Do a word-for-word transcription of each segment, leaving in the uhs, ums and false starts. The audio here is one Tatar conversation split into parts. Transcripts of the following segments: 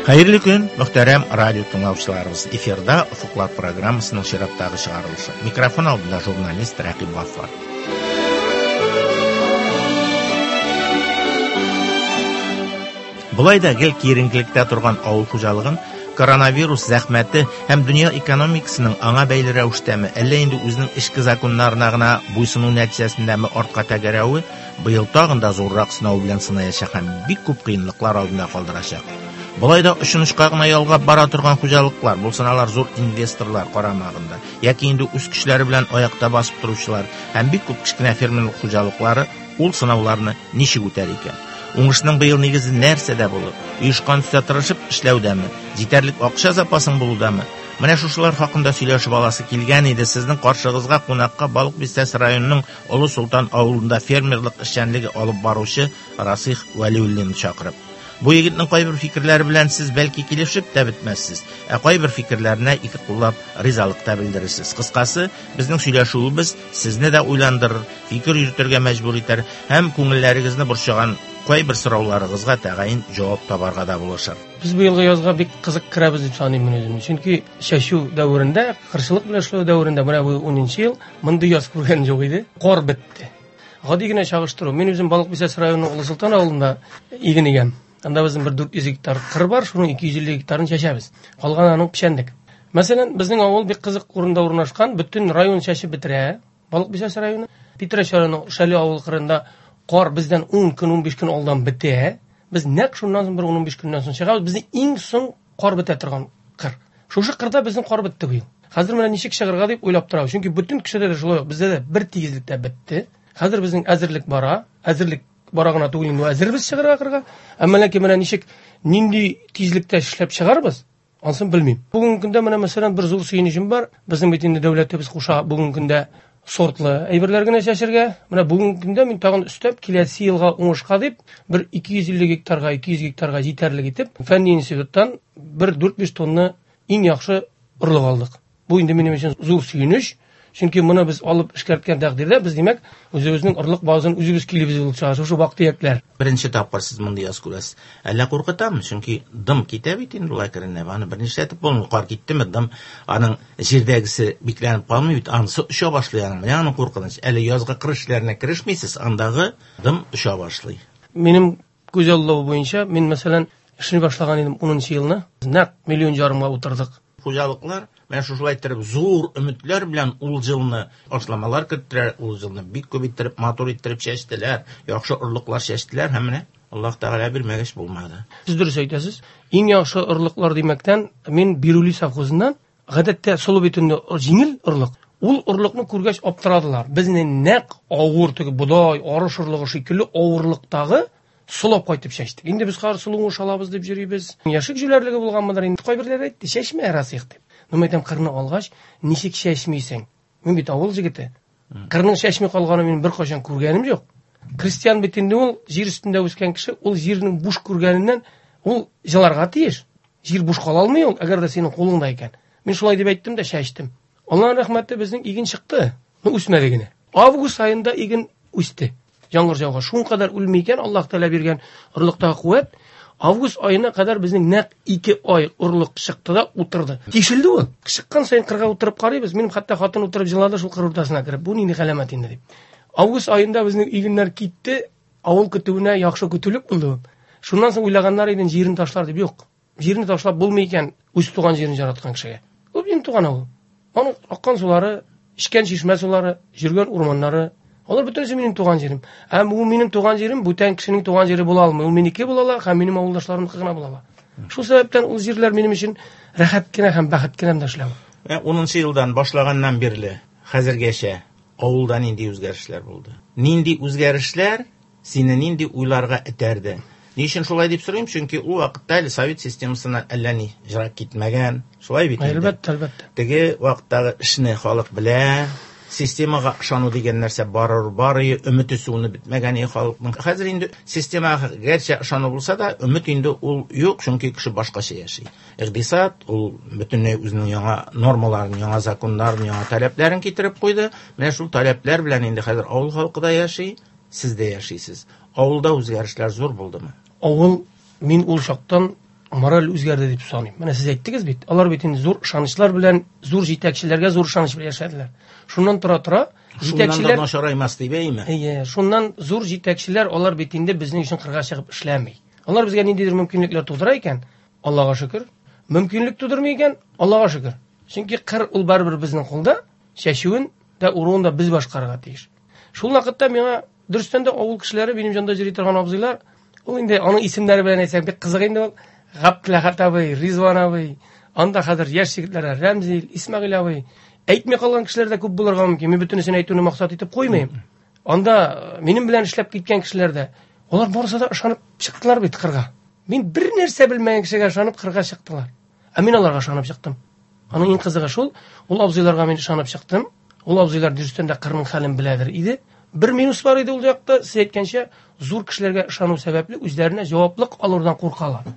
Хәерле көн, мөхтәрәм радио тыңлаучыларыбыз. Эфирда Офыклар программасының чираттагы чыгарылышы. Микрофон алдында журналист Рәкыйп Гаффар. Болай да гел киеренкелектә торган авыл хуҗалыгын коронавирус зәхмәте һәм дөнья экономикасының аңа бәйле рәвештәме, әллә инде үзенең эчке законнарына гына буйсыну нәтиҗәсендәме артка тәгәрәве быел тагын да зуррак сынау белән сынаячак һәм бик күп кыенлыклар алдында калдырачак. Болай да очын-очка гына ялгап бара торган хуҗалыклар, булсын алар зур инвесторлар карамагында, яки инде үз көчләре белән аякта басып торучылар һәм бик күп кечкенә фермерлык хуҗалыклары ул сынауларны ничек үтәр икән? Уңышның быел нигезе нәрсәдә булыр? Оешкан төстә тырышып эшләүдәме? Җитәрлек акча запасың булудамы? Менә шушылар хакында сөйләшеп аласы килгән иде. Сезнең каршыгызга кунакка Балык Бистәсе районының Олы Солтан авылында фермерлык эшчәнлеге алып баручы Расих Вәлиуллинны чакырып. Бу егетнең кайбер фикерләре белән сез бәлки килешеп тә бетмәссез, ә кайбер фикерләренә ике куллап ризалык та белдерерсез. Кыскасы, безнең сөйләшүебез сезне дә уйландырыр, фикер йөртергә мәҗбүр итәр һәм күңелләрегезне борчыган кайбер сорауларыгызга тәгаен җавап табарга да булышыр. Без быелгы язга бик кызык керәбез дип саныйм мин үземне. Чөнки чәчү дәверендә, кырчылык белән эшләү дәверендә менә бу унынчы ел мондый яз күргән юк иде. Кар бетте. Гади генә чагыштыру. Мин үзем Балык Бистәсе районының Олы Солтан авылында иген игәм. Анда безнең бер дүрт йөз гектар кыр бар, шуның ике йөз илле гектарын чәчәбез. Калганы аның печәнлек. Мәсәлән, безнең авыл бик кызык урында урнашкан, бөтен район чәчеп бетерә. Балык Бистәсе районы, Питрәч районы Шәле авыл кырында кар бездән ун көн, унбиш көн алдан бетә. Без нәкъ шуннан соң бер унбиш көннән соң чыгабыз. Безнең иң соң кар бетә торган кыр. Шушы кырда безнең кар бетте быел. Хәзер менә ничек чыгарга дип уйлап торабыз. Чөнки бөтен кешедә дә шулай ук, бездә дә бер тигезлектә бетте. Хәзер безнең әзерлек бара. Әзерлек бара гына түгел инде, әзербез чыгарга кырга. Әмма ләкин менә ничек, нинди тизлектә эшләп чыгарбыз, ансын белмим. Бүгенге көндә менә мәсәлән бер зур сөенечем бар. Безнең бит инде дәүләтебез куша бүгенге көндә сортлы әйберләр генә чәчергә. Менә бүгенге көндә мин тагын өстәп киләсе елга уңышка дип бер ике йөз илле гектарга, ике йөз гектарга җитәрлек итеп фәнни институттан бер дүрт-биш тонна иң яхшы орлык алдык. Бу инде минем өчен зур сөенеч. Чөнки моны без алып эшкәрткән тәкъдирдә без, димәк, үзебезнең орлык базын үзебез килебез булып чыга. Шушы вак-төякләр. Беренче тапкыр сез мондый яз күрәсез. Әллә куркытамы? Чөнки дым китә бит инде ул әкренләп. Аны бернишләтеп булмый. Кар киттеме, дым аның җирдәгесе бикләнеп калмый бит, анысы оча башлый аның. Менә аның куркыныч. Әле язгы кыр эшләренә керешмисез, андагы дым оча башлый. Минем күз аллавы буенча, мин, мәсәлән, эшли башлаган идем унынчы елны. Нәкъ миллион ярымга утырдык. Хуҗалыклар менә шушылай иттереп зур өметләр белән ул елны ашламалар керттеләр, ул елны бик күп иттереп, матур иттереп чәчтеләр, яхшы орлыклар чәчтеләр һәм менә Аллаһ Тәгалә бирмәгәч булмады. Сез дөрес әйтәсез. Иң яхшы орлыклар димәктән, мин Бирули совхозыннан гадәттә солы бит инде җиңел орлык. Ул орлыкны күргәч аптырадылар. Безне нәкъ авыр теге бодай, арыш орлыгы шикелле авырлыктагы солап кайтып чәчтек. Инде без хәзер солы уңыш алабыз дип йөрибез. Яшек җүләрлеге булганмыдыр инде. Кайберләре әйтте, чәчмә, Расих дип. Ну, мен әйтәм, кырны алгач, ничек чәчмисең? Мин бит авыл җегете. Кырның чәчми калганын мин беркайчан күргәнем юк. Крестьян бит инде ул җир өстендә үскән кеше, ул җирнең буш күргәненнән ул җыларга тиеш. Җир буш кала алмый ул, әгәр дә синең кулыңда икән. Мин шулай дип әйттем дә чәчтем. Аллаһның рәхмәте, безнең иген чыкты. Ну, үсмәде генә. Август аенда иген үсте. Яңгыр жауга шуның кадәр үлми икән, Аллаһ Тәгалә биргән орлыктагы куәт. Август аена кадәр безнең нәкъ ике ай орлык чыкты да утырды. Тишелде ул. Чыккан саен кырга утырып карыйбыз. Минем хәтта хатын утырып җылады шул кыр уртасына кереп. Бу нинди галәмәт инде дип. Август аенда безнең игеннәр китте, авыл көтүенә яхшы көтүлек булды. Шуннан соң уйлаганнар иде, җирен ташлар дип. Юк. Җирен ташлап булмый икән үз туган җирен яраткан кешегә. Ул минем туган авыл. Аның аккан сулары, эчкән чишмә сулары, йөргән урманнары, алар бөтенесе минем туган җирем. Һәм бу минем туган җирем бүтән кешенең туган җире була алмый. Ул минеке була ала һәм минем авылдашларымныкы гына була ала. Шул сәбәптән ул җирләр минем өчен рәхәт кенә һәм бәхет кенә дә эшләү. Ә унынчы елдан башлаганнан бирле хәзергәчә авылда нинди үзгәрешләр булды? Нинди үзгәрешләр сине нинди уйларга этәрде? Ни өчен шулай дип сорыйм? Чөнки ул вакытта әле совет системасына әллә ни җырак китмәгән. Шулай бит инде. Әлбәттә, әлбәттә. Теге вакыттагы эшне халык белә, системага ышану дигән нәрсә барыр, бары өмете суыны бетмәгән и халыкның. Хәзер инде системага гәрчә ышану булса да, өмет инде ул юк, чөнки кеше башкача яши. Икътисад ул бөтенләй үзенең яңа нормаларын, яңа законнарын, яңа таләпләрен китереп куйды. Менә шул таләпләр белән инде хәзер авыл халкы да яши, сез дә яшисез. Авылда үзгәрешләр зур булдымы? Авыл мин ул чактан мораль үзгәрде дип саныйм. Менә сез әйттегез бит, алар бит инде зур ышанычлар белән, зур җитәкчеләргә зур ышаныч белән яшәделәр. Шуннан тора-тора җитәкчеләр начараймас дип әйме? Әйе, шуннан зур җитәкчеләр алар бит инде безнең өчен кырга чыгып эшләми. Алар безгә ниндидер мөмкинлекләр тудыра икән, Аллага шөкер. Мөмкинлек тудырмый икән, Аллага шөкер. Чөнки кыр ул барыбер безнең кулда, чәчүен дә уруын да без башкарырга тиеш. Шул вакытта миңа дөрестән дә авыл кешеләре, минем янда йөри торган абзыйлар, ул инде аның исемнәре белән әйтсәк бик кызык инде ул. Габделәхәт абый, Ризван абый, анда хәзер яшь егетләр Рәмзил, Исмәгыйль абый. Әйтми калган кешеләр дә күп булырга мөмкин. Мин бөтенесен әйтүне максат итеп куймыйм. Анда минем белән эшләп киткән кешеләр дә, алар барысы да ышанып чыктылар бит кырга. Мин бер нәрсә белмәгән кешегә ышанып кырга чыктылар. Ә мин аларга ышанып чыктым. Аның иң кызыгы шул, ул абзыйларга мин ышанып чыктым. Ул абзыйлар дөрестән дә кырның хәлен беләдер иде. Бер минус бар иде ул якта, сез әйткәнчә, зур кешеләргә ышану сәбәпле үзләренә җаваплык алудан куркалар.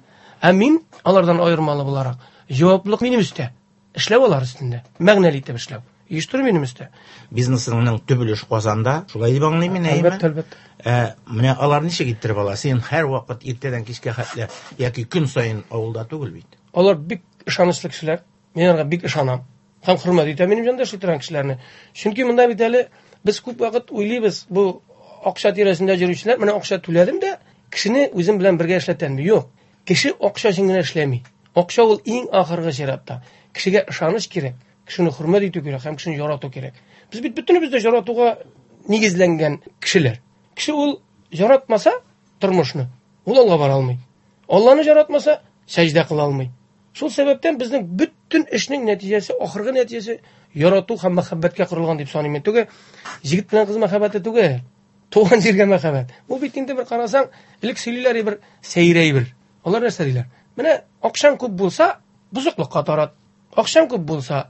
Ә мин алардан аермалы буларак, җаваплык минем өстә. Эшләү алар өстендә. Мәгънәле итеп эшләү. Оештыру минем өстә. Бизнесыңның төп өлеше Казанда, шулай дип аңлыйм мин, әйеме? Әлбәттә, әлбәттә. Ә, менә алар ничек иттереп ала? Син һәр вакыт иртәдән кичкә хәтле яки көн саен авылда түгел бит. Алар бик ышанычлы кешеләр. Мин аларга бик ышанам. Һәм хөрмәт итәм минем янда эшли торган кешеләрне. Чөнки монда бит әле без күп вакыт уйлыйбыз, бу акча тирәсендә йөрүчеләр, менә акча түләдем дә, кешене үзем белән бергә эшләтәм. Юк. Кеше акча өчен генә эшләми. Акча ул иң ахыргы чиратта. Кешегә ышаныч кирәк, кешене хөрмәт итү кирәк һәм кешене ярату кирәк. Без бит бөтенебез дә яратуга нигезләнгән кешеләр. Кеше ул яратмаса тормышны, ул алга бара алмый. Алланы яратмаса, сәҗдә кыла алмый. Шул сәбәптән безнең бөтен эшнең нәтиҗәсе, ахыргы нәтиҗәсе ярату һәм мәхәббәткә корылган дип саныйм мин. Түгел, егет белән кыз мәхәббәте түгел, туган җиргә мәхәббәт. Бу бит инде бер карасаң, элек сөйлиләр бер сәйрәй бер. Алар нәрсә диләр? Менә акчаң күп булса, бозыклыкка тарат. Акчаң күп булса,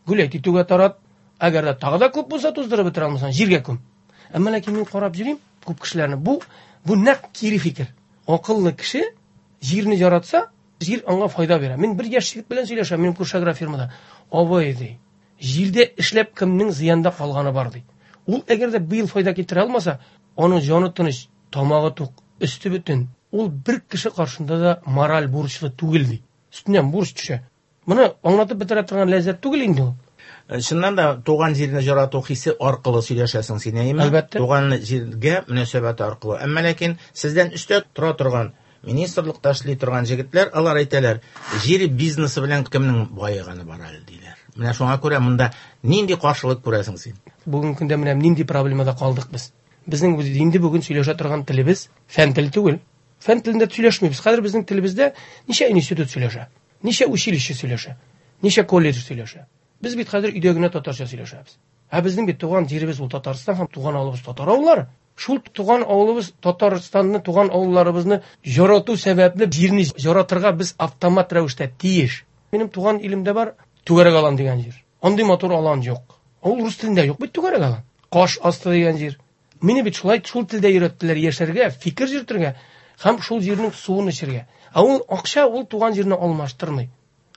гүләйт итүгә тарат. Әгәр дә тагы да күп булса, туздырып бетерә алмасаң, җиргә күм. Әмма ләкин мин карап йөрим күп кешеләрне. Бу бу нәкъ кире фикер. Акыллы кеше җирне яратса, җир аңа файда бирә. Мин бер яшь егет белән сөйләшәм, минем күрше агрофирмада. Абый ди, җирдә эшләп кемнең зыянда калганы бар ди. Ул әгәр дә быел файда китерә алмаса, аның җаны тыныч, тамагы тук, өсте бөтен. Ул бер кеше каршында да мораль бурычлы түгел ди. Өстеннән бурыч төшә. Моны аңлатып бетерә торган ләззәт түгел инде ул. Чыннан да туган җирне ярату хисе аркылы сөйләшәсең син, әйеме? Әлбәттә. Туган җиргә мөнәсәбәт аркылы. Әмма ләкин сездән өстә тора торган министрлыкта эшли торган җегетләр, алар әйтәләр, җир бизнесы белән кемнең баеганы бар әле диләр. Менә шуңа күрә монда нинди каршылык күрәсең син? Бүгенге көндә менә нинди проблемада калдык без? Безнең инде бүген сөйләшә торган телебез фән теле түгел. Фән телендә сөйләшмибез. Хәзер безнең телебездә ничә институт сөйләшә, ничә училище сөйләшә, ничә колледж сөйләшә. Без бит хәзер өйдә генә татарча сөйләшәбез. Ә безнең бит туган җиребез ул Татарстан һәм туган авылыбыз татар авыллары. Шул туган авылыбыз Татарстанны, туган авылларыбызны ярату сәбәпле җирне яратырга без автомат рәвештә тиеш. Минем туган илемдә бар Түгәрәк алан дигән җир. Андый матур алан юк. Ул рус телендә юк бит Түгәрәк алан. Каш асты дигән җир. Мине бит шулай шул телдә өйрәттеләр яшәргә, фикер йөртергә һәм шул җирнең суын эчәргә. Ә ул акча ул туган җирне алмаштырмый.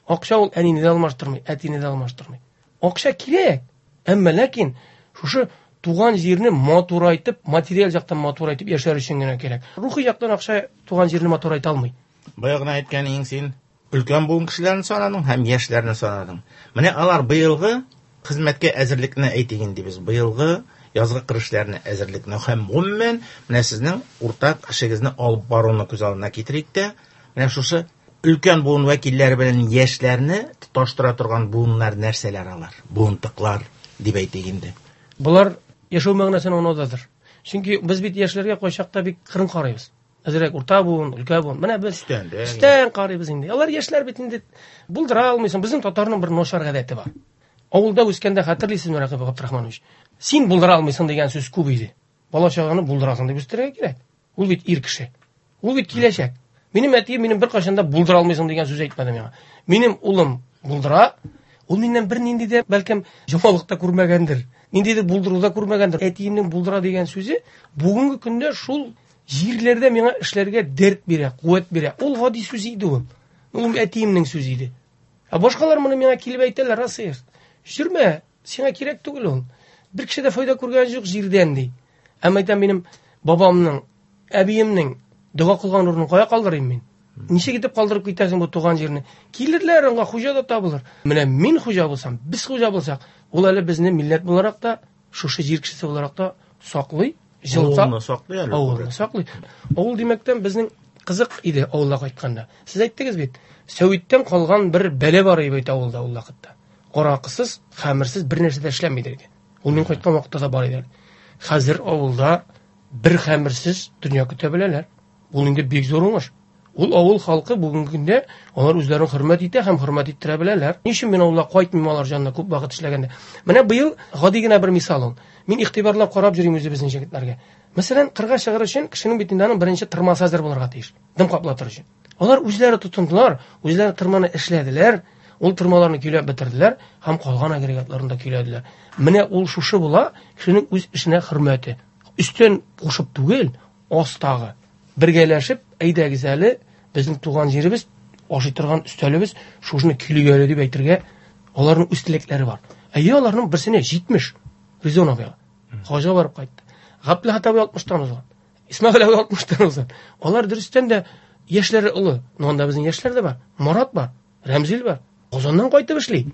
Акча ул әнине дә алмаштырмый, әтине дә алмаштырмый. Акча кирәк, әмма ләкин шушы туган җирне матурайтып, материаль яктан матурайтып яшәр өчен генә кирәк. Рухи яктан акча туган җирне матурайта алмый. Бая гына әйткән син, өлкән буын кешеләрен санадың һәм яшьләрне санадың. Менә алар быелгы хезмәткә әзерлекне әйтик инде без. Быелгы язгы кыр эшләренә әзерлекне һәм гомумән менә сезнең уртак эшегезне алып баруны күз алдына китерик тә, менә шушы өлкән буын вәкилләре белән яшьләрне тоташтыра торган буыннар нәрсәләр алар? Буынтыклар дип әйтик инде. Булар яшәү мәгънәсен аңлаудадыр. Чөнки без бит яшьләргә кайчакта бик кырын карыйбыз. Әзрәк урта буын, өлкән буын. Менә без өстән, өстән карыйбыз инде. Алар яшьләр бит инде булдыра алмыйсың. Безнең татарның бер начар гадәте бар. Авылда үскәндә хәтерлисезме, Рәкыйп Габдрахманович? Син булдыра алмыйсың дигән сүз күп иде. Бала чаганы булдырасың дип үстерергә кирәк. Ул бит ир кеше. Ул бит киләчәк. Минем әтием минем беркайчан да булдыра алмыйсың дигән сүз әйтмәде миңа. Минем улым булдыра, ул миннән бер нинди дә бәлкем җомалык та күрмәгәндер, ниндидер булдыру да күрмәгәндер. Әтиемнең булдыра дигән сүзе бүгенге көндә шул җирләрдә миңа эшләргә дәрт бирә, куәт бирә. Ул гади сүз иде ул. Ул әтиемнең сүзе иде. Ә башкалар моны миңа килеп әйтәләр, Расыйх, йөрмә, сиңа кирәк түгел ул. Бер кеше дә файда күргән юк җирдән ди. Әмма әйтәм, минем бабамның, әбиемнең дога кылган урынын кая калдырыйм мин? Ничек итеп калдырып китәсең бу туган җирне? Килерләр, аңа хуҗа да табылыр. Менә мин хуҗа булсам, без хуҗа булсак, ул әле безне милләт буларак та, шушы җир кешесе буларак та саклый, җылыта. Авылны саклый әле. Авылны саклый. Авыл димәктән безнең кызык иде авылга кайтканда. Сез әйттегез бит, сәвиттән калган бер бәле бар иде бит авылда ул вакытта. Аракысыз, хәмерсез бер нәрсә дә эшләнми иде. Ул мин кайткан вакытта да бар иде. Хәзер авылда бер хәмерсез дөнья көтә беләләр. Ул инде бик зур уңыш. Ул авыл халкы бүгенге көндә алар үзләрен хөрмәт итә һәм хөрмәт иттерә беләләр. Ни өчен мин авылга кайтмыйм алар җанына күп вакыт эшләгәндә? Менә быел гади генә бер мисал ул. Мин игътибарлап карап йөрим үзебезнең җегетләргә. Мәсәлән, кырга чыгыр өчен кешенең бит инде аның беренче тырмасы әзер булырга тиеш. Дым каплатыр өчен. Алар үзләре тотындылар, үзләре тырманы эшләделәр, ул тырмаларны көйләп бетерделәр һәм калган агрегатларын да көйләделәр. Менә ул шушы була кешенең үз эшенә хөрмәте. Өстен кушып түгел, астагы. Бергәләшеп, әйдәгез әле, безнең туган җиребез, ашый торган өстәлебез, шушыны көйлик әле дип әйтергә аларның үз теләкләре бар. Әйе, аларның берсенә җитмеш Ризон абыйга. Хаҗга барып кайтты. Габделхат абый алтмыштан узган. Исмәгыйль абый алтмыштан узган. Алар дөрестән дә яшьләре олы. Но анда безнең яшьләр дә бар. Марат бар, Рәмзил бар. Казаннан кайтып эшли.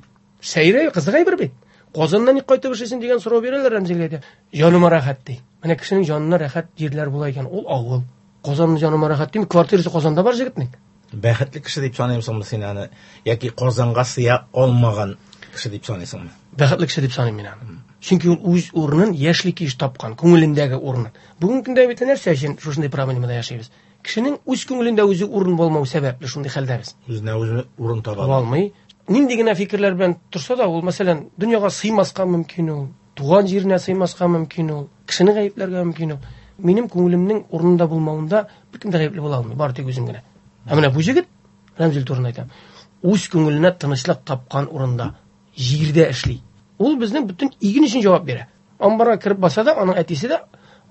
Сәйрә, кызык әйбер бит. Казаннан ник кайтып эшлисең дигән сорау бирәләр Рәмзилгә дә. Җаныма рәхәт ди. Менә кешенең җанына рәхәт җирләр була икән, ул авыл. Казанның җаныма рәхәт дими, квартирасы Казанда бар җегетнең. Бәхетле кеше дип саныйсыңмы син аны, яки Казанга сыя алмаган кеше дип саныйсыңмы? Бәхетле кеше дип саныйм мин аны. Чөнки ул үз урынын яшьлек килеш тапкан, күңелендәге урынын. Бүгенге көндә бит нәрсә өчен шушындый проблемада яшибез? Кешенең үз күңелендә үзе урын булмау сәбәпле шундый хәлдә без. Үзенә үзе урын таба Таба алмый. Нинди генә фикерләр белән торса да, ул, мәсәлән, дөньяга сыймаска мөмкин ул, туган җиренә сыймаска мөмкин ул, кешене гаепләргә мөмкин ул. Минем күңелемнең урынында булмавында беркем дә гаепле була алмый, бары тик үзем генә. Ә менә бу җегет, Рәмзил турында әйтәм, үз күңеленә тынычлык тапкан урында, җирдә эшли. Ул безнең бөтен иген өчен җавап бирә. Амбарга кереп баса да, аның әтисе дә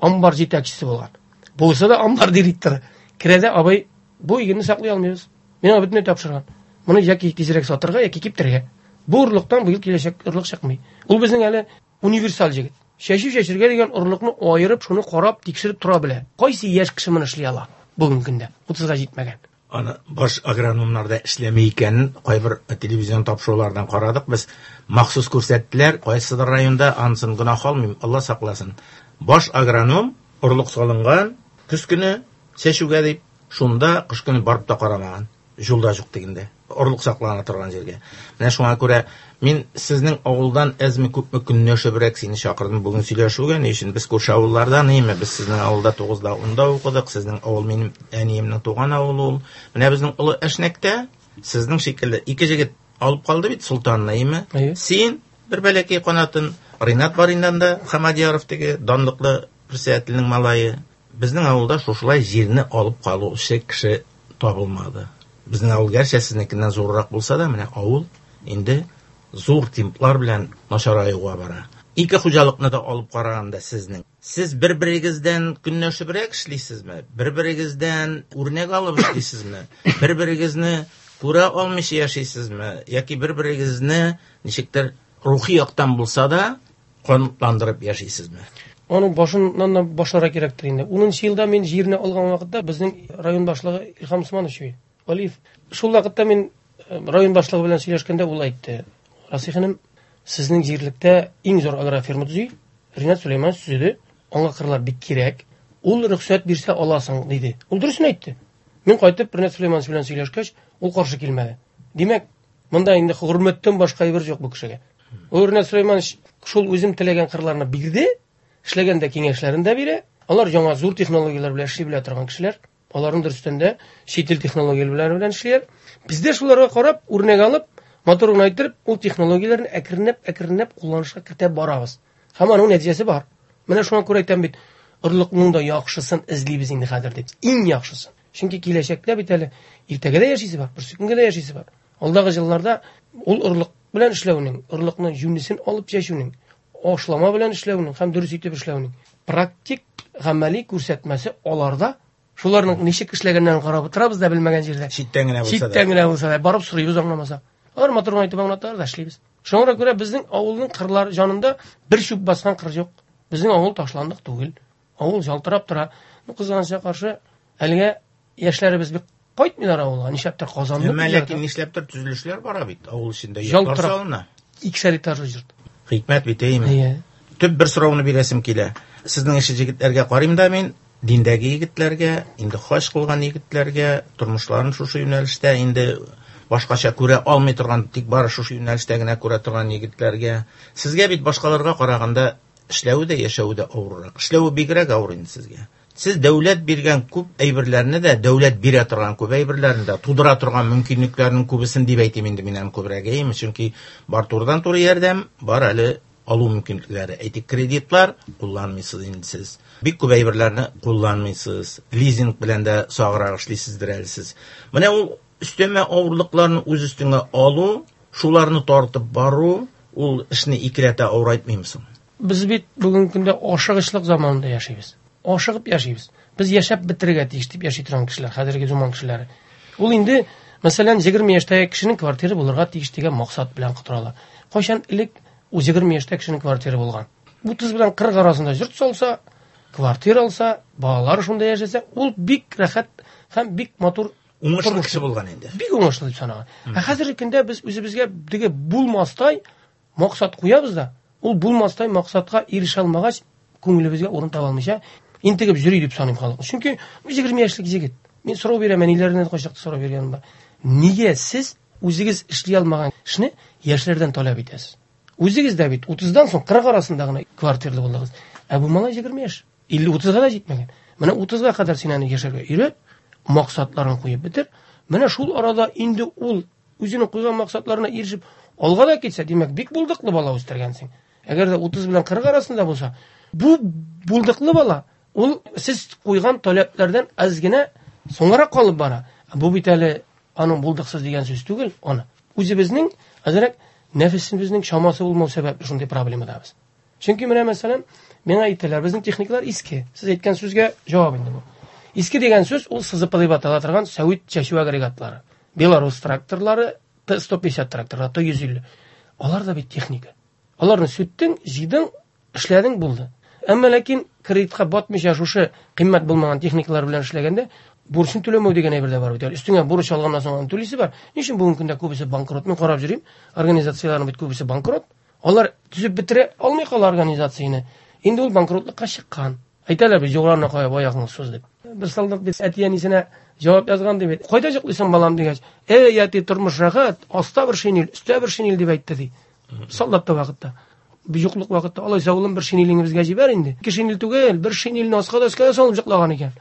амбар җитәкчесе булган. Булса да амбар директоры. Керә дә, абый, бу игенне саклый алмыйбыз. Мин аңа бөтенләй тапшырган. Моны яки тизрәк сатырга, яки киптерергә. Бу орлыктан быел киләчәк орлык чыкмый. Ул безнең әле универсаль җегет. Чәчү чәчергә дигән орлыкны аерып, шуны карап, тикшереп тора белә. Кайсы яшь кеше моны эшли ала бүгенге көндә? Утызга җитмәгән. Аны баш агрономнар да эшләми икәнен кайбер телевизион тапшырулардан карадык. Без махсус күрсәттеләр, кайсыдыр районда анысын гөнаһ алмыйм, Алла сакласын. Баш агроном орлык салынган, көз көне чәчүгә дип, шунда кыш көне барып та карамаган. Юлда юк дигәндә, орлык саклана торган җиргә. Менә шуңа күрә мин сезнең авылдан әзме күпме көнләшебрәк сине чакырдым бүген сөйләшүгә. Ни өчен без күрше авыллардан, әйме, без сезнең авылда тугызда, унда укыдык, сезнең авыл минем әниемнең туган авылы ул. Менә безнең Олы Әшнәктә сезнең шикелле ике җегет алып калды бит Султанны, әйме? Әйе. Син бер бәләкәй канатын, Ринат бар инде анда, Хамадияров теге данлыклы председательнең малае. Безнең авылда шушылай җирне алып калучы кеше табылмады. Безнең авыл гәрчә сезнекеннән зуррак булса да, менә авыл инде зур темплар белән начараюга бара. Ике хуҗалыкны да алып караганда сезнең. Сез бер-берегездән көнләшебрәк эшлисезме? Бер-берегездән үрнәк алып эшлисезме? Бер-берегезне күрә алмыйча яшисезме? Яки бер-берегезне ничектер рухи яктан булса да канатландырып яшисезме? Аның башыннан да башларга кирәктер инде. Унынчы елда мин җирне алган вакытта безнең район башлыгы Илһам Усманович Валиев. Шул вакытта мин, э, район башлыгы белән сөйләшкәндә ул әйтте: Расих энем, сезнең җирлектә иң зур агрофирма төзи. Ринат Сулейманович төзеде. Аңа кырлар бик кирәк. Ул рөхсәт бирсә аласың, диде. Ул дөресен әйтте. Мин кайтып Ринат Сулейманович белән сөйләшкәч, ул каршы килмәде. Димәк, монда инде хөрмәттән башка әйбер юк бу кешегә. Ул Ринат Сулейманович шул үзем теләгән кырларны бирде, эшләгәндә киңәшләрен дә бирә. Алар яңа зур технологияләр белән эшли белә торган кешеләр. Аларның дөрестән дә чит ил технологияләре белән эшлиләр. Без дә шуларга карап, үрнәк алып, матур гына иттереп, ул технологияләрне әкренләп, әкренләп кулланышка кертә барабыз. Һәм аның нәтиҗәсе бар. Менә шуңа күрә әйтәм бит, орлыкның да яхшысын эзлибез инде хәзер дип. Иң яхшысын. Чөнки киләчәктә бит әле иртәгә дә яшисе бар, берсе көнгә дә яшисе бар. Алдагы елларда ул орлык белән эшләүнең, орлыкның җүнлесен алып чәчүнең, ашлама белән эшләүнең һәм дөрес итеп эшләүнең практик гамәли күрсәтмәсе аларда. Шуларның ничек эшләгәннәрен карап утырабыз да белмәгән җирдә. Читтән генә булса да. Читтән генә булса да барып сорыйбыз аңламаса. Алар матур гына итеп аңлаталар да эшлибез. Шуңа күрә безнең авылның кырлар җанында бер чүп баскан кыр юк. Безнең авыл ташландык түгел. Авыл ялтырап тора. Ну, кызганычка каршы, әлегә яшьләребез бик Кайтмыйлар авылга, нишләптер Казанны. Әмма ләкин нишләптер төзелешләр бара бит авыл эчендә, йортлар салына. Икешәр этажлы йорт. Хикмәт бит, әйеме? Төп бер сорауны бирәсем килә. Сезнең эше егетләргә карыйм да мин, диндәге егетләргә, инде хаҗ кылган егетләргә, тормышларын шушы юнәлештә инде башкача күрә алмый торган, тик бары шушы юнәлештә генә күрә торган егетләргә. Сезгә бит башкаларга караганда эшләве дә, яшәве дә авыррак. Эшләве бигрәк авыр инде сезгә. Сез дәүләт биргән күп әйберләрне дә, дәүләт бирә торган күп әйберләрне дә, тудыра торган мөмкинлекләрнең күбесен дип әйтим инде мин аны күбрәк, әйеме? Чөнки бар турыдан-туры ярдәм, бар әле алу мөмкинлекләре. Әйтик, кредитлар кулланмыйсыз инде сез. Бик күп әйберләрне кулланмыйсыз. Лизинг белән дә саграк эшлисездер әле сез. Менә ул өстәмә авырлыкларны үз өстеңә алу, шуларны тартып бару, ул эшне икеләтә авырайтмыймы соң? Без бит бүгенге көндә ашыгычлык заманында яшибез. Ашыгып яшибез. Без яшәп бетерергә тиеш дип яши торган кешеләр, хәзерге заман кешеләре. Ул инде, мәсәлән, егерме яшьтәге кешенең квартиры булырга тиеш дигән максат белән котыралар. Кайчан элек ул егерме яшьтә кешенең квартиры булган? Утыз белән кырык арасында йорт салса, квартира алса, балалары шунда яшәсә, ул бик рәхәт һәм бик матур уңышлы кеше булган инде. Бик уңышлы дип санаган. Ә хәзерге көндә без үзебезгә теге булмастай максат куябыз да, ул булмастай максатка ирешә алмагач, күңелебезгә урын таба алмыйча интегеп йөри дип саныйм халык. Чөнки егерме яшьлек егет. Мин сорау бирәм, әниләренә кайчакта сорау биргәнем бар. Нигә сез үзегез эшли алмаган эшне яшьләрдән таләп итәсез? Үзегез дә бит утыздан соң кырык арасында гына квартирлы булдыгыз. Ә бу малай егерме яшь, илле утызга да җитмәгән. Менә утызга кадәр син аны яшәргә өйрәт, максатларын куеп бетер. Менә шул арада инде ул үзенең куйган максатларына ирешеп алга да китсә, димәк, бик булдыклы бала үстергәнсең. Әгәр дә утыз белән кырык арасында булса, бу булдыклы бала ул сез куйган таләпләрдән аз генә соңгарак калып бара. Бу бит әле аның булдыксыз дигән сүз түгел, аны. Үзебезнең әзрәк нәфесебезнең чамасы булмау сәбәпле шундый проблемадабыз. Чөнки менә мәсәлән, миңа әйтәләр, безнең техникалар иске. Сез әйткән сүзгә җавап инде бу. Иске дигән сүз ул сызып дип атала торган сәвит чәчү агрегатлары. Белорус тракторлары, Т сто пятьдесят тракторлары, Т йөз илле. Алар да бит техника. Аларны сүттең, җыйдың, эшләдең, булды. Әмма ләкин кредитка батмыйча шушы кыйммәт булмаган техникалар белән эшләгәндә бурычын түләмәү дигән әйбер дә бар бит. Өстеңә бурыч алганнан соң аны түлисе бар. Ни өчен бүгенге көндә күбесе банкрот? Мин карап йөрим, организацияләрнең бит күбесе банкрот. Алар төзеп бетерә алмый кала организацияне. Инде ул банкротлыкка чыккан. Әйтәләр бит, юлларына кая аягыңны суз дип. Бер солдат бит әти-әнисенә җавап язган дип. Кайда йоклыйсың, балам дигәч, "Эй, әти, тормыш рәхәт, аста бер шинель, өстә бер шинель" дип әйтте ди. Солдат та вакытта. Юклык вакытта алайса улым бер шинелеңне безгә җибәр инде. Ике шинель түгел, бер шинельне аска да өскә дә салып йоклаган икән.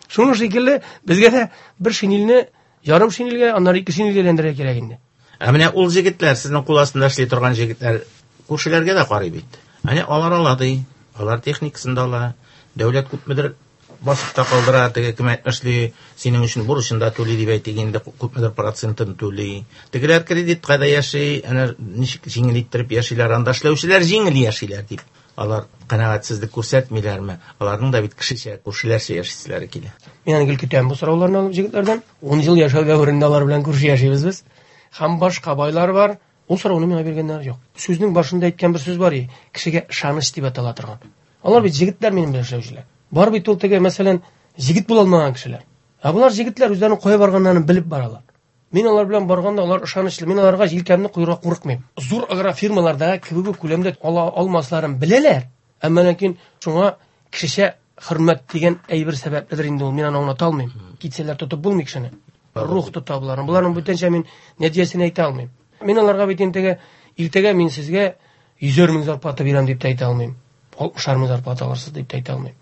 Шуның шикелле безгә дә бер шинельне ярым шинельгә, аннары ике шинельгә әйләндерергә кирәк инде. Ә менә ул җегетләр, сезнең кул астында эшли торган җегетләр күршеләргә дә карый бит. Әнә алар ала ди, алар техникасын да ала, дәүләт күпмедер басып та калдыра, теге кем әйтмешли, синең өчен бурычын да түли дип әйтик инде, күпмедер процентын түли. Тегеләр кредитка да яши, әнә ничек җиңел иттереп яшиләр, анда эшләүчеләр җиңел яшиләр дип. Алар канәгатьсезлек күрсәтмиләрме? Аларның да бит кешечә, күршеләрчә яшиселәре килә. Мин аны гел көтәм бу сорауларны алып җегетләрдән. Ун ел яшәү дәверендә алар белән күрше яшибез без. Һәм башка байлар бар. Ул сорауны миңа биргәннәр юк. Сүзнең башында әйткән бер сүз бар, кешегә ышаныч дип атала торган. Алар бит җегетләр минем белән эшләүчеләр. Бар бит ул теге, мәсәлән, җегет була алмаган кешеләр. Ә булар җегетләр үзләренең кая барганнарын белеп баралар. Мин алар белән барганда алар ышанычлы. Мин аларга җилкәмне куярга курыкмыйм. Зур агрофирмаларда кебек үк күләмдә ала алмасларын беләләр. Әмма ләкин шуңа кешечә хөрмәт дигән әйбер сәбәпледер инде ул. Мин аны аңлата алмыйм. Китсәләр тотып булмый кешене. Рух тота буларны. Буларның бүтәнчә мин нәтиҗәсен әйтә алмыйм. Мин аларга бит инде иртәгә мин сезгә йөзәр мең зарплата бирәм дип тә әйтә алмыйм. Алтмышар мең зарплата алырсыз дип тә әйтә алмыйм.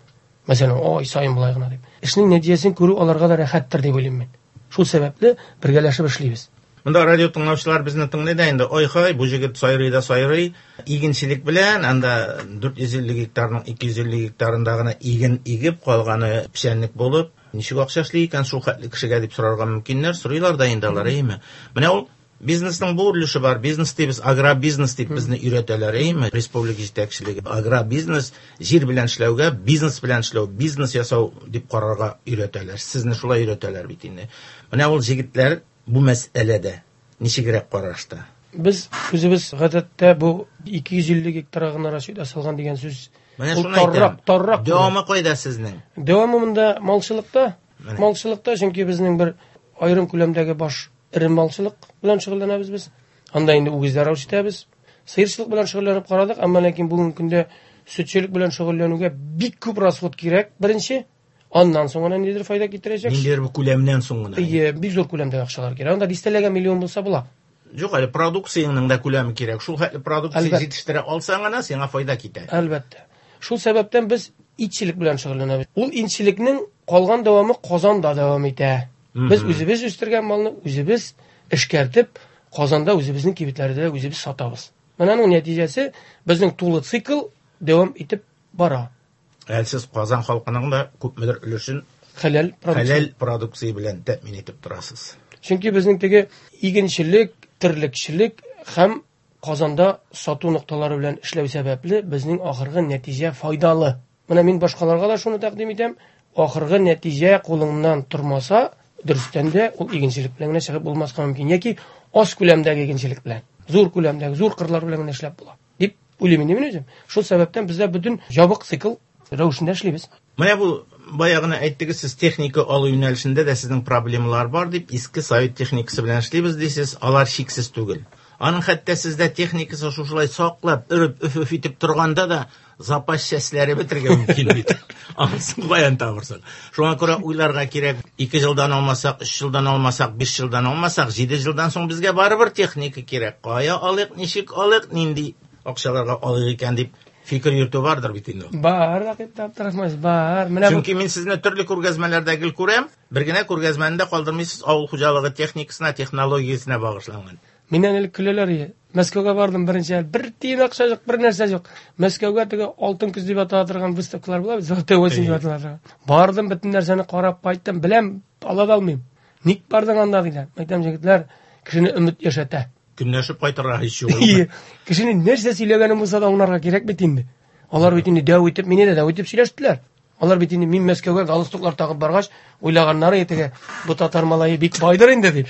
Мәсәлән, ай саен болай гына дип. Эшнең нәтиҗәсен күрү аларга да рәхәттер дип уйлыйм мин. Шул сәбәпле бергәләшеп эшлибез. Монда радио тыңлаучылар безне тыңлый да инде, ой-хай, бу җегет сайрый да сайрый, игенчелек белән анда дүрт йөз илле гектарның ике йөз илле гектарында гына иген игеп калганы печәнлек булып, ничек акча эшли икән шул хәтле кешегә дип сорарга мөмкиннәр, сорыйлар да инде алар, әйеме? Менә ул бизнесның бу өлеше бар. Бизнес дибез, агробизнес дип безне өйрәтәләр, әйеме? Республика җитәкчелеге агробизнес, җир белән эшләүгә, бизнес белән эшләү, бизнес ясау дип карарга өйрәтәләр. Сезне шулай өйрәтәләр бит инде. Менә ул җегетләр бу мәсьәләдә ничегрәк карашта? Без үзебез гадәттә бу ике йөз илле гектарга гына расчет ясалган дигән сүз. Менә Ул шуны әйтәм. таррак, таррак. Дәвамы кайда сезнең? Дәвамы монда малчылыкта. Менә. Малчылыкта, чөнки безнең бер Аерым күләмдәге баш эре малчылык белән шөгыльләнәбез без. Анда инде үгезләр үрчетәбез. Сыерчылык белән шөгыльләнеп карадык, әмма ләкин бүгенге көндә сөтчелек белән шөгыльләнүгә бик күп расход кирәк. Беренче, аннан соң гына ниндидер файда китерәчәк. Ниндидер бер күләмнән соң гына. Әйе, бик зур күләмдәге акчалар кирәк. Анда дистәләгән миллион булса була. Юк, әле продукцияңнең дә күләме кирәк. Шул хәтле продукция җитештерә алсаң гына сиңа файда китә. Әлбәттә. Шул сәбәптән без итчелек белән шөгыльләнәбез. Ул итчелекнең калган дәвамы Казанда дәвам итә. Без үзебез үстергән малны үзебез эшкәртеп, Казанда үзебезнең кибетләрдә үзебез сатабыз. Менә аның нәтиҗәсе безнең тулы цикл дәвам итеп бара. Әле сез Казан халкының да күпмедер өлешен хәләл продукция, хәләл продукция белән тәэмин итеп торасыз. Чөнки безнең теге игенчелек, терлекчелек һәм Казанда сату нокталары белән эшләү сәбәпле безнең ахыргы нәтиҗә файдалы. Менә мин башкаларга да шуны тәкъдим итәм. Ахыргы нәтиҗә кулыңнан тормаса, дөрестән дә ул игенчелек белән генә чыгып булмаска мөмкин яки аз күләмдәге игенчелек белән, зур күләмдәге, зур кырлар белән генә эшләп була дип уйлыйм инде мин үзем. Шул сәбәптән бездә бөтен ябык цикл рәвешендә эшлибез. Менә бу бая гына әйттегез, сез техника алу юнәлешендә дә сезнең проблемалар бар дип, иске совет техникасы белән эшлибез дисез, алар шиксез түгел. Аның хәтта сездә техникасы шушылай саклап, өреп, өф-өф итеп торганда да запас частьләре бетергә мөмкин бит. Анысын каян табырсың? Шуңа күрә уйларга кирәк. Ике елдан алмасак, өч елдан алмасак, биш елдан алмасак, җиде елдан соң безгә барыбер техника кирәк. Кая алыйк, ничек алыйк, нинди акчаларга алыйк икән дип фикер йөртү бардыр бит инде. Бар, Рәкыйп Абдрахманович, бар. Менә Чөнки мин сезне төрле күргәзмәләрдә гел күрәм, бер генә күргәзмәне дә калдырмыйсыз, авыл хуҗалыгы техникасына, технологиясенә багышланган. Миннән элек көләләр иде. Мәскәүгә бардым беренче ел. Бер тиен акча юк, бер нәрсә юк. Мәскәүгә теге алтын күз дип атала торган выставкалар була бит, золотой осень дип атала торган. Бардым, бөтен нәрсәне карап кайттым, беләм, ала да алмыйм. Ник бардың анда диләр. Әйтәм, егетләр, кешене өмет яшәтә. Көнләшеп кайтырга һич юк. Ие, кешенең нәрсә сөйләгәнен булса да аңларга кирәк бит инде. Алар бит инде дәү итеп, мине дә дәү итеп сөйләштеләр. Алар бит инде мин Мәскәүгә галстуклар тагып баргач, уйлаганнары теге бу татар малае бик байдыр инде дип.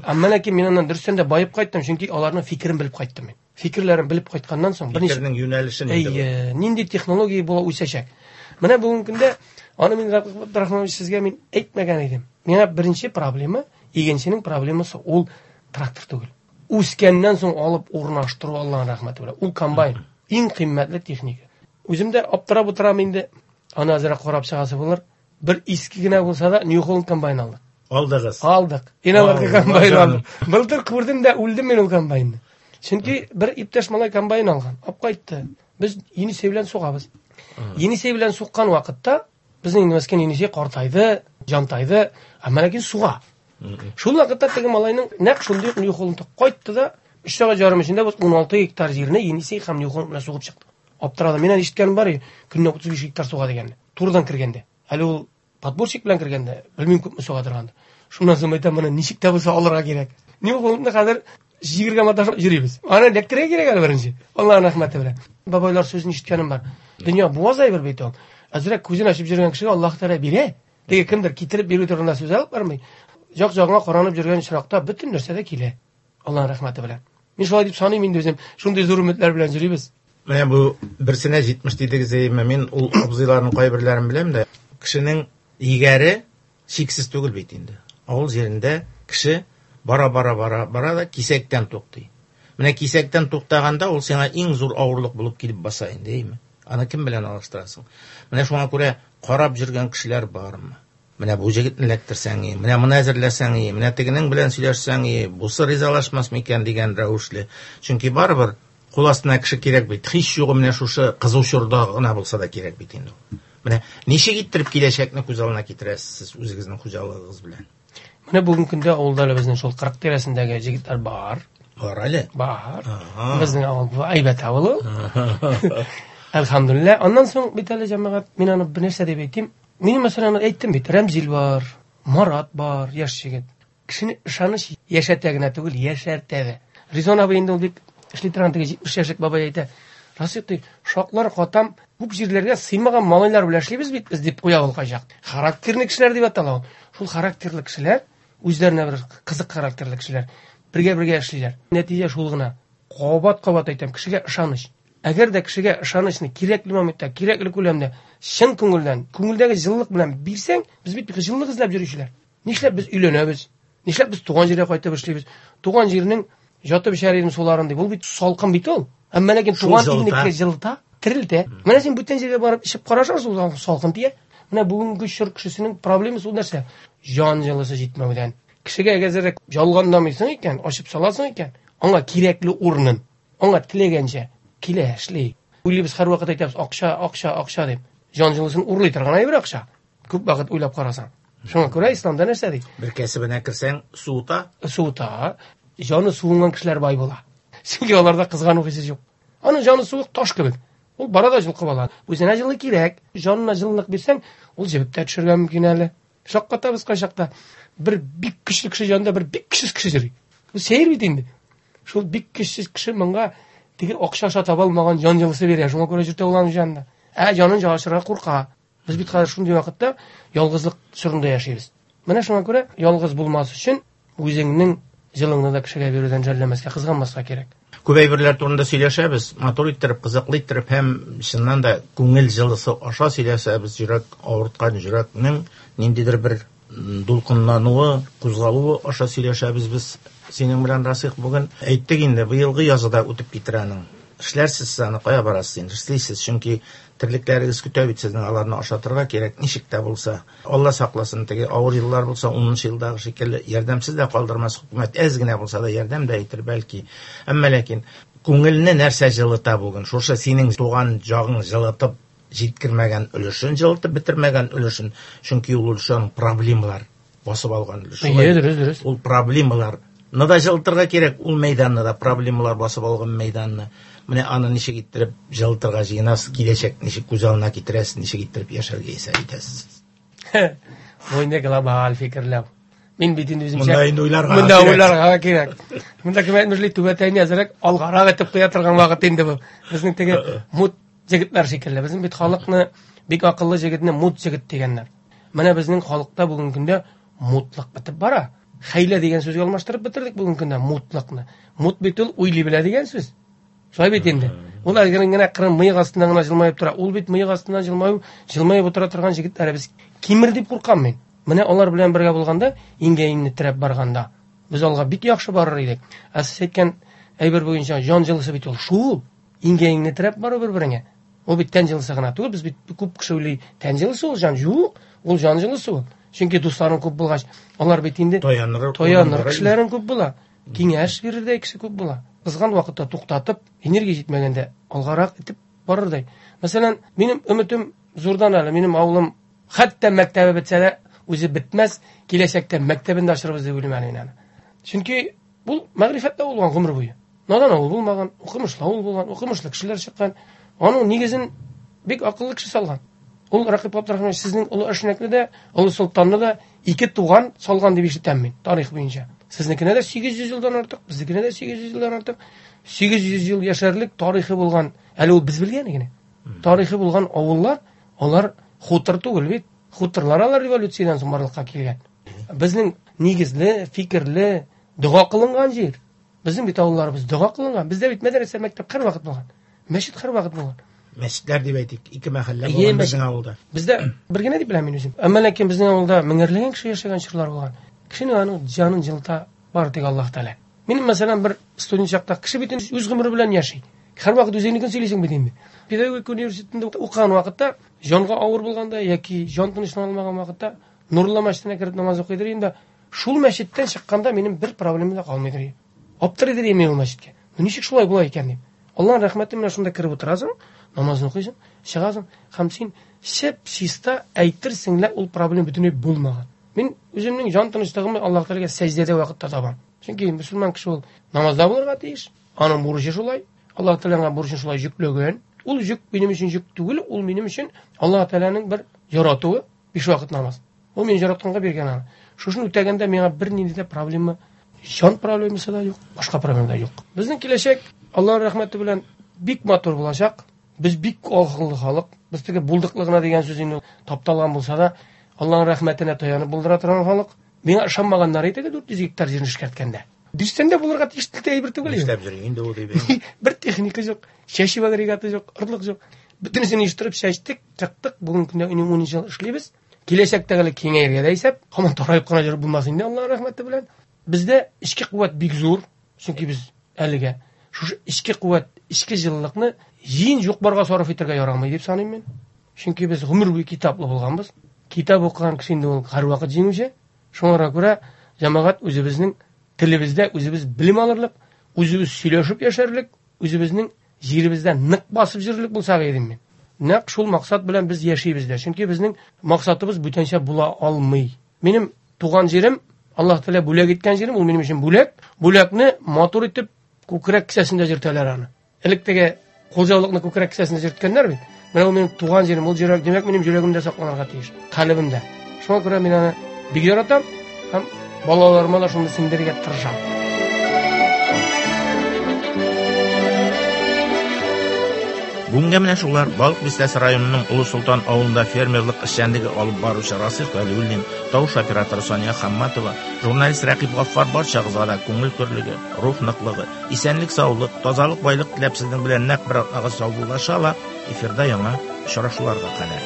Әмма ләкин мин аннан дөрестән дә байып кайттым, чөнки аларның фикерен белеп кайттым мин. Фикерләрен белеп кайтканнан соң берничә фикернең юнәлешен инде бу. Әйе, нинди технология була үсәчәк. Менә бүгенге көндә аны мин Рәкыйп Абдрахманович сезгә мин әйтмәгән идем. Миңа беренче проблема, игенченең проблемасы ул трактор түгел. Үскәннән соң алып урнаштыру Аллаһның рәхмәте белән. Ул комбайн, иң кыйммәтле техника. Үзем дә аптырап утырам инде. Аны азрак карап чыгасы булыр. Бер иске генә булса да New Holland комбайн алдык. Алдыгыз. Алдык. Инаварга Алла комбайн җаным. алдык. Былтыр күрдем дә үлдем мин ул комбайнны. Чөнки бер иптәш малай комбайн алган, алып кайтты. Без Енисей белән сугабыз. Енисей белән суккан вакытта безнең инде мескен Енисей картайды, җантайды, әмма ләкин суга. Шул вакытта теге малайның нәкъ шундый ук New Holland кайтты да, өч сәгать ярым эчендә без ун алты гектар җирне Енисей һәм New Holland белән сугып чыктык. Аптырадым. Мин ишеткәнем бар, көненә утыз биш гектар суга дигәнне. Турыдан кергәндә. Әле ул подборщик белән кергәндә, белмим күпме суга торгандыр. Шуннан соң әйтәм, моны ничек тә булса алырга кирәк. New Hollandны хәзер җигергә маташып йөрибез. Аны эләктерергә кирәк әле беренче. Аллаһның рәхмәте белән. Бабайлар сүзен ишеткәнем бар. Дөнья буаз әйбер бит ул. Әзрәк күзен ачып йөргән кешегә Аллаһ Тәгалә бирә. Теге кемдер китереп бирү турында сүз алып бармый. Як-ягыңа каранып йөргән очракта бөтен нәрсә дә килә. Аллаһның рәхмәте белән. Мин шулай дип саныйм инде үзем. Шундый зур өметләр белән йөрибез. Менә бу берсенә җитмеш дидегез, әйме, мин ул абзыйларның кайберләрен беләм дә. Кешенең егәре чиксез түгел бит инде. Авыл җирендә кеше бара-бара бара бара да кисәктән туктый. Менә кисәктән туктаганда ул сиңа иң зур авырлык булып килеп баса инде, әйме? Аны кем белән алыштырасың? Менә шуңа күрә карап йөргән кешеләр бармы? Менә бу җегетне эләктерсәң, менә моны әзерләсәң, менә тегенең белән сөйләшсәң, бусы ризалашмас микән дигән рәвешле. Чөнки барыбер кул астына кеше кирәк бит. Һич югы менә шушы кызу чорда гына булса да кирәк бит инде. Менә ничек иттереп киләчәкне күз алдына китерәсез сез үзегезнең хуҗалыгыгыз белән? Менә бүгенге көндә авылда әле безнең шул кырык тирәсендәге җегетләр бар. Бар әле? Бар. Ага. Безнең авыл бу әйбәт авыл ул. Әлхәмдүлилләһ. Аннан соң бит әле җәмәгать, мин аны бер нәрсә дип әйтим. Мин мәсәлән әйттем бит, Рәмзил бар, Марат бар, яшь җегет. Кешене ышаныч яшәтә генә түгел, яшәртә дә. Ризон абый инде ул бик эшли торган теге җитмеш яшьлек бабай әйтә. Расыйк ди, шаклар катам, күп җирләргә сыймаган малайлар белән эшлибез бит без дип куя ул кайчак. Характерлы кешеләр дип атала ул. Шул характерлы кешеләр, үзләренә бер кызык характерлы кешеләр бергә-бергә эшлиләр. Нәтиҗә шул гына. Кабат-кабат әйтәм, кешегә ышаныч. Әгәр дә кешегә ышанычны кирәкле моментта, кирәкле күләмдә, чын күңелдән, күңелдәге җылылык белән бирсәң, без бит җылылык эзләп йөрүчеләр. Нишләп без өйләнәбез? Нишләп без туган җиргә кайтып эшлибез? Туган җирнең жатып эчәр идем суларын дип. Ул бит салкын бит ул. Әмма ләкин туган илнеке җылыта, терелтә. Менә син бүтән җиргә барып эчеп карашаң, ул салкын тия. Менә бүгенге чор кешесенең проблемасы ул нәрсә? Җан җылысы җитмәүдән. Кешегә әгәр ялганламыйсың икән, ачып саласың икән, аңа кирәкле урынын, аңа теләгәнчә килә, эшли. Уйлыйбыз, һәрвакыт әйтәбез, акча, акча, акча дип. Җан җылысын урлый торган әйбер акча. Күп вакыт уйлап карасаң. Шуңа күрә исламда нәрсә ди? Бер кәсебенә керсәң, суыта. Суыта. Җаны суынган кешеләр бай була. Чөнки аларда кызгану хисе юк. Аның җаны суык таш кебек. Ул бара да җылкып ала. Үзенә җылы кирәк. Җанына җылылык бирсәң, ул җебеп тә төшергә мөмкин әле. Шаккатабыз кайчакта. Бер бик көчле кеше янында бер бик көчсез кеше йөри. Бу сәер бит инде. Шул бик көчсез кеше моңа теге акча аша таба алмаган җан җылысы бирә. Шуңа күрә йөртә ул аның җанында. Ә җанын җылышырга курка. Без бит хәзер шундый вакытта ялгызлык чорында яшибез. Менә шуңа күрә ялгыз булмас өчен үзеңнең җылыңны да кешегә бирүдән жәлләмәскә, кызганмаска кирәк. Күп әйберләр турында сөйләшәбез, матур иттереп, кызыклы иттереп һәм чыннан да күңел җылысы аша сөйләшәбез. Йөрәк авырткан йөрәкнең ниндидер бер дулкынлануы, кузгалуы аша сөйләшәбез без синең белән, Расих, бүген. Әйттек инде, быелгы язы да үтеп китер аның. Эшләрсез сез аны, кая барасыз инде, эшлисез, чөнки терлекләрегез көтә бит сезнең, аларны ашатырга кирәк, ничек тә булса. Алла сакласын, теге авыр еллар булса, унынчы елдагы шикелле ярдәмсез дә калдырмас хөкүмәт, әз генә булса да ярдәм дә итер бәлки. Әмма ләкин күңелне нәрсә җылыта бүген? Шушы синең туган җагың җылытып җиткермәгән өлешен, җылытып бетермәгән өлешен, чөнки ул өлешен проблемалар басып алган өлеш. Әйе, дөрес, дөрес. Ул проблемалар ны да җылытырга кирәк, ул мәйданны да, проблемалар басып алган мәйданны. Менә аны ничек иттереп җылытырга җыенасыз, киләчәк ничек күз алдына китерәсез, ничек иттереп яшәргә исәп итәсез? Бу инде глобаль фикерләү. Мин бит инде үземчә Монда инде уйларга Монда кирәк. уйларга кирәк. Монда кем әйтмешли, түбәтәйне әзрәк алгарак итеп куя торган вакыт инде бу. Безнең теге мут җегетләр шикелле. Безнең бит халыкны бик акыллы җегетне мут җегет дигәннәр. Менә безнең халыкта бүгенге көндә мутлык бетеп бара. Хәйлә дигән сүзгә алмаштырып бетердек бүгенге көндә мутлыкны. Мут бит ул уйлый белә дигән сүз. Шулай бит инде. Ул әгәр генә кырын мыек астыннан гына җылмаеп тора. Ул бит мыек астыннан җылмаю, җылмаеп утыра торган җегетләр без кимер дип куркам мин. Менә алар белән бергә булганда, иңгә иңне терәп барганда, без алга бик яхшы барыр идек. Ә сез әйткән әйбер буенча җан җылысы бит ул шул. Иңгә иңне терәп бару бер-береңә. Ул бит тән җылысы гына түгел, без бит күп кеше уйлый, тән җылысы ул җан юк, ул җан җылысы ул. Чөнки дусларың күп булгач, алар бит инде таяныр, таяныр кешеләрең күп була. Киңәш бирердәй кеше күп була. Кызган вакытта туктатып, энергия җитмәгәндә алгарак итеп барырдай. Мәсәлән, минем өметем зурдан әле, минем авылым хәтта мәктәбе бетсә дә үзе бетмәс, киләчәктә мәктәбен дә ачырбыз дип уйлыйм әле мин аны. Чөнки бу мәгърифәттә булган гомер буе. Надан авыл булмаган, укымышлы авыл булган, укымышлы кешеләр чыккан. Аның нигезен бик акыллы кеше салган. Ул Рәкыйп Абдрахманович сезнең Олы Әшнәкне дә, Олы Солтанны да ике туган салган дип ишетәм мин тарих буенча. Сезнекенә дә сигез йөз елдан артык, безнекенә дә сигез йөз елдан артык. Сигез йөз ел яшәрлек тарихы булган, әле ул без белгән генә. Тарихы булган авыллар, алар хутор түгел бит. Хуторлар алар революциядән соң барлыкка килгән. Безнең нигезле, фикерле, дога кылынган җир. Безнең бит авылларыбыз дога кылынган. Бездә бит мәдрәсә, мәктәп һәрвакыт булган. Мәчет һәрвакыт булган. Мәчетләр дип әйтик, ике мәхәллә Әйе, булган мәчет. безнең авылда. Бездә бер генә дип беләм мин үзем. Әмма ләкин безнең авылда меңәрләгән кеше яшәгән чорлар булган. Кешенең аның җанын җылыта бары тик Аллаһ Тәгалә. Минем мәсәлән бер студент чакта кеше бит инде үз гомере белән яши. Һәрвакыт үзеңнекен сөйлисең бит инде. Педагогика университетында укыган вакытта җанга авыр булганда яки җан тынычлана алмаган вакытта Нурлы мәчетенә кереп намаз укыйдыр инде. Шул мәчеттән чыкканда минем бер проблемам да калмыйдыр. Аптырыйдыр мин ул мәчеткә. Ну ничек шулай була икән дип. Аллаһның рәхмәте менә шунда кереп утырасың, намазын укыйсың, чыгасың һәм син чип-чиста әйтерсең лә ул проблем бөтенләй булмаган. Мин үземнең җан тынычлыгымны Аллаһ Тәгаләгә сәҗдәдә вакытта табам. Чөнки мөселман кеше ул намазда булырга тиеш. Аның бурычы шулай. Аллаһ Тәгаләнең бурычын шулай йөкләгән. Ул йөк минем өчен йөк түгел, ул минем өчен Аллаһ Тәгаләнең бер яратуы, биш вакыт намаз. Ул мине яратканга биргән аны. Шушын үтәгәндә миңа бернинди дә проблема, җан проблемасы да юк, башка проблема да юк. Безнең киләчәк Аллаһның рәхмәте белән бик матур булачак. Без бик акыллы халык. Без теге булдыклы гына дигән сүз инде тапталган булса да, Аллаһның рәхмәтенә таянып булдыра торган халык. Миңа ышанмаганнар иде дүрт йөз гектар җирне эшкәрткәндә. Дөрестән дә булырга тиешле әйбер түгел инде. Нишләп йөри инде ул дип. Бер техника юк, чәчү агрегаты юк, орлык юк. Бөтенесен оештырып чәчтек, чыктык. Бүгенге көндә инде унынчы ел эшлибез. Киләчәктә әле киңәергә дә исәп, һаман тараеп кына йөреп булмас инде, Аллаһ рәхмәте белән. Бездә эчке куәт бик зур, чөнки без әлегә шушы эчке куәт, эчке җылылыкны җыен юк-барга сарыф итәргә ярамый дип саныйм мин. Чөнки без гомер буе китаплы булганбыз. Китап укыган кеше инде ул һәрвакыт җиңүче. Шуңа күрә җәмәгать үзебезнең телебездә үзебез белем алырлык, үзебез сөйләшеп яшәрлек, үзебезнең җиребездә нык басып йөрерлек булсак идем мин. Нәкъ шул максат белән без яшибез дә. Чөнки безнең максатыбыз бүтәнчә була алмый. Минем туган җирем, Аллаһ Тәгалә бүләк иткән җирем, ул минем өчен бүләк. Бүләкне матур итеп күкрәк кесәсендә йөртәләр аны. Элек теге кулҗаулыкны күкрәк кесәсендә йөрткәннәр бит. Менә ул минем туган җирем, ул җирәк, димәк, минем йөрәгемдә сакланырга тиеш, калебемдә. Шуңа күрә мин аны бик яратам һәм балаларыма да шуны сеңдерергә тырышам. Бүгенгә менә шулар. Балык Бистәсе районының Олы Солтан авылында фермерлык эшчәнлеге алып баручы Расих Вәлиуллин, тавыш операторы Сания Хамматова, журналист Рәкыйп Гаффар барчагызга да күңел көрлеге, рух ныклыгы, исәнлек, саулык, тазалык, байлык теләп сезнең белән нәкъ бер атнага саубуллаша ала. Эфирда яңа очрашуларга кадәр.